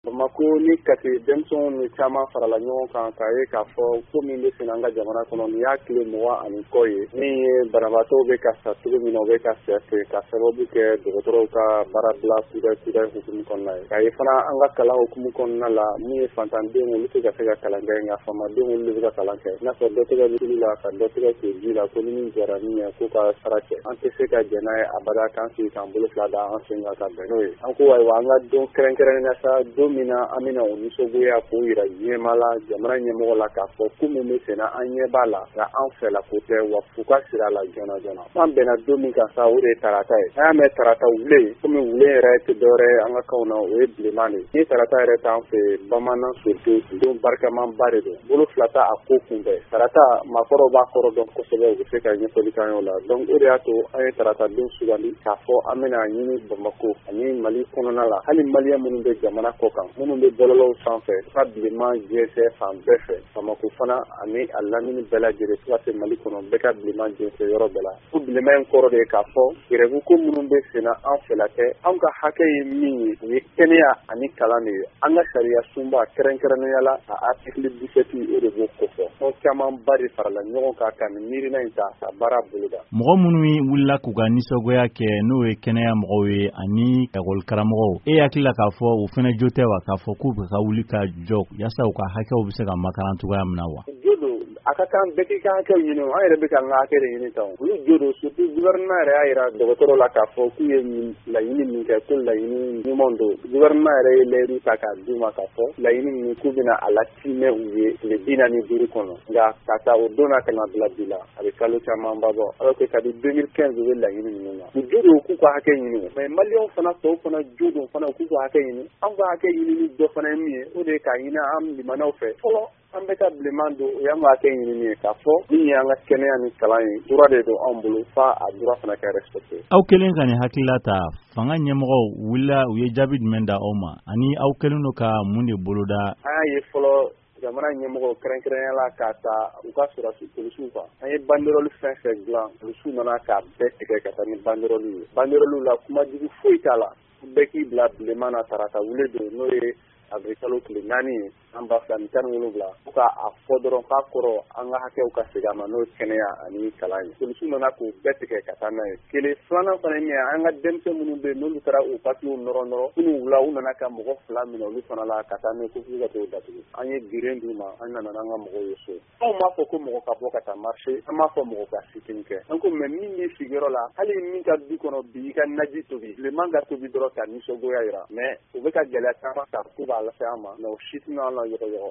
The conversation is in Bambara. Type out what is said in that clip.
Bamakɔ ni Kati, denmisɛnw ni caman farala ɲɔgɔn kan k'a ye k'a fɔ ko min bɛ sen an ka jamana kɔnɔ, nin y'a tile 20 ani kɔ ye, min ye banabaatɔw bɛ ka sa cogo min na, u bɛ ka sa ten ka sababu kɛ dɔgɔtɔrɔw ka baarabila kudayi hukumu kɔnɔna ye. K'a ye fana an ka kalan hukumu kɔnɔna la, min ye fantandenw, olu tɛ ka se ka kalan kɛ, nka faamadenw, olu de bɛ ka kalan kɛ. I n'a fɔ dɔ tɛgɛ bɛ tulu la ka dɔ tɛgɛ ko ji la, ko ni min jɔra min ye k'u ka sara cɛ. An tɛ se ka jɛn n'a ye abada k'an sigi k'an bolo fila da an sen kan ka bɛn n'o ye. An ko ayiwa, an ka don kɛrɛnkɛrɛnnen sa, don min na an bɛna o nisɔngoya k'o jira diɲɛmaa la, jamana ɲɛmɔgɔ la, k'a fɔ ko min bɛ senna, an ɲɛ b'a la, nka an fɛla ko tɛ, wa f'u ka sira la joona joona. An bɛnna don min kan sa, o de ye tarata ye. An y'a mɛn tarata wulen, komi wulen yɛrɛ tɛ dɔwɛrɛ ye an ka kanw na, o ye bilenman de ye. Ni tarata yɛrɛ t'an fɛ, bamanan surtout, don barikamanba de don, bolo fila t'a a ko kunbɛn. Tarata, maakɔrɔw b'a kɔrɔ dɔn kosɛbɛ, u bɛ se ka ɲɛfɔli k'an ye o la. Donc o de y'a to an ye tarata don sugandi k'a fɔ an bɛna ɲini Bamakɔ ani Mali kɔnɔna la, hali maliyɛn minnu bɛ jamana kɔ kan, minnu bɛ bɔlɔlɔw sanfɛ, ka bilenman jɛnsɛn fan bɛɛ fɛ, Bamakɔ fana ani a lamini bɛɛ lajɛlen, fo ka se Mali kɔnɔ, bɛɛ ka bilenman jɛnsɛn yɔrɔ bɛɛ la. Ko bilenman in kɔrɔ de ye k'a fɔ grève ko minnu bɛ senna, an fɛla tɛ. Anw ka hakɛ ye min ye, o ye kɛnɛya ani kalan de ye. An ka sariya sunba, kɛrɛnkɛrɛnnenya la a article 17, o de b'o kofɔ. Tɔn camanba de farala ɲɔgɔn kan ka nin miirina in ta ka baara boloda. Mɔgɔ minnu wulila k'u ka nisɔngoya kɛ, n'o ye kɛnɛya mɔgɔw ye ani ekɔli karamɔgɔw, e hakili la k'a fɔ u fana jo tɛ wa, k'a fɔ k'u bɛ ka wuli ka jɔ yaasa u ka hakɛw bɛ se ka makaran cogoya min na wa? Jo don, a ka kan bɛɛ k'i ka hakɛw ɲini. An yɛrɛ bɛ ka an ka hakɛ de ɲini tan. Olu jo don, surtout gouvernement yɛrɛ y'a jira dɔgɔtɔrɔw la k'a fɔ k'u ye laɲini min kɛ, ko laɲini ɲuman don. Gouvernement yɛrɛ ye layidu ta k'a d'u ma k'a fɔ laɲini ninnu, k'u bɛna a latimɛ u ye tile 45 kɔnɔ. Nka ka taa o don na ka na bila bi la, a bɛ kalo camanba bɔ, alors que kabi 2015 u bɛ laɲini ninnu na. U jo don k'u ka hakɛ ɲini, mais maliyɛnw fana tɔw fana jo don fana k'u ka hakɛ ɲini. Anw ka hakɛ ɲinini dɔ fana ye min ye, o de ye k'a ɲini an limanaw fɛ fɔlɔ, an bɛ ka bilenman don, o y'an ka hakɛ ɲinini ye, k'a fɔ min y'an ka kɛnɛya ni kalan ye, droit de don anw bolo, f'a a droit fana ka respecté. Aw kɛlen ka nin hakilila ta, fanga ɲɛmɔgɔw wulila, u ye jaabi jumɛn da aw ma, ani aw kɛlen don ka mun de boloda? An y'a ye fɔlɔ, jamana ɲɛmɔgɔw, kɛrɛnkɛrɛnnenya la k'a ta u ka sɔrɔdasi polisiw kan, an ye banderole fɛn fɛn dilan, polisiw nana k'a bɛɛ tigɛ ka taa ni banderole ye. Banderole la, kuma jugu foyi t'a la, bɛɛ k'i bila bilenman na tarata wule don, n'o ye avril kalo tile 4 ye an 2017, fo k'a fɔ dɔrɔn k'a kɔrɔ an ka hakɛw ka segin a ma, n'o ye kɛnɛya ani kalan ye. Polisiw nana k'o bɛɛ tigɛ ka taa n'a ye. Kelen filanan fana ye min ye, an ka denmisɛn minnu bɛ yen, n'olu taara o papiyew nɔrɔ nɔrɔ kunun wula, u nana ka mɔgɔ 2 minɛ olu fana la ka taa n'u ye ko f'u ka t'o datugu. An ye geren d'u ma, an nana n'an ka mɔgɔw ye so. Anw m'a fɔ ko mɔgɔ ka bɔ ka taa marché, an m'a fɔ mɔgɔ ka sit-in kɛ. An ko mais min b'i sigiyɔrɔ la, hali min ka du kɔnɔ bi, i ka naji tobi, bilenman ka tobi dɔrɔn ka nisɔngoya jira. Mais u bɛ ka gɛlɛya caman ta k'u b'a lase an ma, mais o si tɛna an la yɔgɔyɔgɔ.